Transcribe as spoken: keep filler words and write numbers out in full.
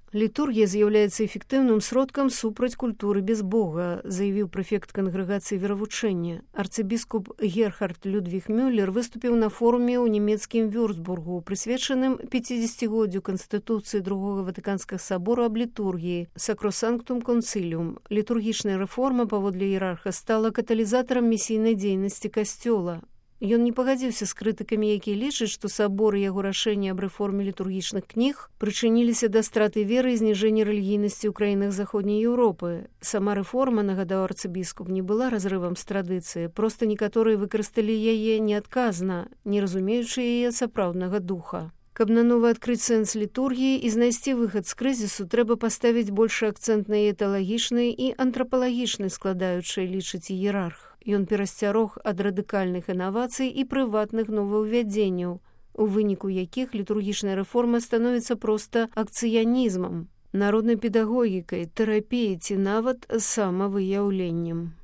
Літургія з'яўляецца эфектыўным сродкам супраць культуры без Бога, заявіў прэфект кангрэгацыі веравучэння. Арцыбіскуп Герхард Людвіг Мюллер выступіў на форуме ў нямецкім Вюрцбургу, прысвечаным пяцідзесяцігоддзю Канстытуцыі другога Ватыканскага сабору аб літургіі «Сакросанктум консилиум». Літургічная рэформа, паводле іерарха, стала каталізатарам місійнай дзейнасці касцёла. Ён не пагадзіўся з крытыкамі, якія лічаць, што сабор і яго рашэнне аб рэформе літургічных кніг прычыніліся да страты веры і зніжэння рэлігійнасці ў краінах заходняй Еўропы. Сама рэформа, нагадаў арцыбіскуп, не была разрывам з традыцыі, проста некаторыя выкарысталі яе неадказна, не разумеючы яе сапраўднага духа. Каб нанова адкрыць сэнс літургіі і знайсці выхад з крызісу, трэба паставіць большы акцэнт на яе тэалагічнай і антрапалагічнай складаючай, лічыць іерарх. Ён перасцярог ад радыкальных інавацый і прыватных новаўвядзенняў, у выніку якіх літургічная рэформа становіцца проста акцыянізмам, народнай педагогікай, тэрапіяй ці нават самавыяўленнем.